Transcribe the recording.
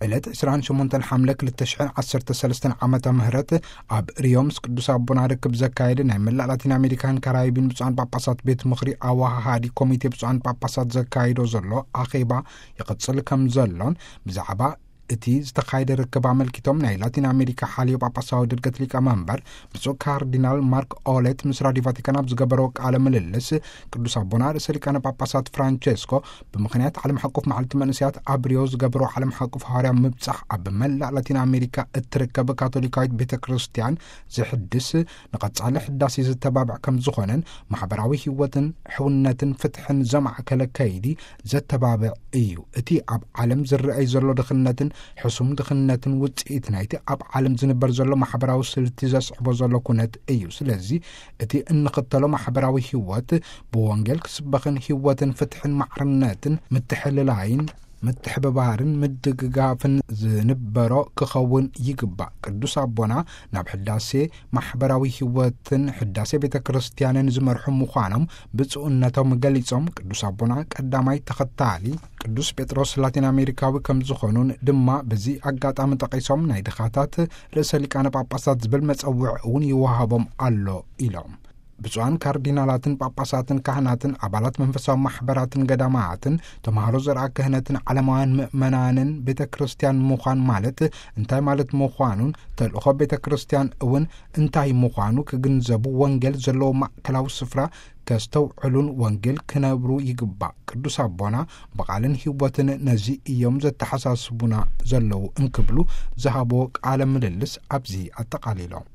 ዕለት ዕስራን ሸሞንተን ሓምለ ክልተ ሽሕን ዓሰርተ ሰለስተን ዓመተ ምህረት ኣብ ሪዮ ምስ ቅዱስ ኣቦና ርክብ ዘካየደ ናይ መላእ ላቲን ኣሜሪካን ካራይቢን ብፁዓን ጳጳሳት ቤት ምኽሪ ኣወሃሃዲ ኮሚቴ ብፁዓን ጳጳሳት ዘካይዶ ዘሎ ኣኼባ ይቕጽል ከም ዘሎን፣ ብዛዕባ እቲ ዝተኻየደ ርክብ ኣመልኪቶም ናይ ላቲን ኣሜሪካ ሓልዮ ጳጳሳዊ ድርገት ሊቀ መንበር ብፁዕ ካርዲናል ማርክ ኦሌት ምስ ራዲዮ ቫቲካን ኣብ ዝገበረዎ ቃለ ምልልስ፣ ቅዱስ ኣቦና ርእሰ ሊቃነ ጳጳሳት ፍራንቸስኮ ብምኽንያት ዓለም ሓቆፍ መዓልቲ መንእሰያት ኣብ ሪዮ ዝገበረዎ ዓለም ሓቆፍ ሃዋርያ ምብጻሕ ኣብ መላእ ላቲን ኣሜሪካ እትርከብ ካቶሊካዊት ቤተ ክርስቲያን ዝሕድስ፣ ንቐጻሊ ሕዳሴ ዝተባብዕ ከም ዝኾነን፣ ማሕበራዊ ህይወትን ሕውነትን ፍትሕን ዘማዕከለ ከይዲ ዘተባብዕ እዩ። እቲ ኣብ ዓለም ዝረኣይ ዘሎ ድኽነትን ሕሱም ድኽነትን ውጽኢት ናይቲ ኣብ ዓለም ዝንበር ዘሎ ማሕበራዊ ስልቲ ዘስዕቦ ዘሎ ኩነት እዩ። ስለዚ እቲ እንኽተሎ ማሕበራዊ ህይወት ብወንጌል ክስበኽን ህይወትን ፍትሕን ማዕርነትን ምትሕልላይን ምትሕብባርን ምድግጋፍን ዝንበሮ ክኸውን ይግባእ። ቅዱስ ኣቦና ናብ ሕዳሴ ማሕበራዊ ህይወትን ሕዳሴ ቤተ ክርስቲያንን ዝመርሑ ምዃኖም ብፁዕነቶም ገሊጾም፣ ቅዱስ ኣቦና ቀዳማይ ተኸታሊ ቅዱስ ጴጥሮስ ላቲን ኣሜሪካዊ ከም ዝኾኑን ድማ በዚ ኣጋጣሚ ጠቒሶም፣ ናይ ድኻታት ርእሰ ሊቃነ ጳጳሳት ዝብል መጸውዕ እውን ይወሃቦም ኣሎ ኢሎም። ብፁዓን ካርዲናላትን ጳጳሳትን ካህናትን ኣባላት መንፈሳዊ ማሕበራትን ገዳማትን ተምሃሮ ዘርኣ ክህነትን ዓለማውያን ምእመናንን ቤተ ክርስቲያን ምዃን ማለት እንታይ ማለት ምዃኑን ተልእኾ ቤተ ክርስቲያን እውን እንታይ ምዃኑ ክግንዘቡ ወንጌል ዘለዎ ማእከላዊ ስፍራ ከስተውዕሉን ወንጌል ክነብሩ ይግባእ። ቅዱስ ኣቦና ብቓልን ህይወትን ነዚ እዮም ዘተሓሳስቡና ዘለዉ እንክብሉ ዝሃቦ ቃለ ምልልስ ኣብዚ ኣጠቓሊሎም።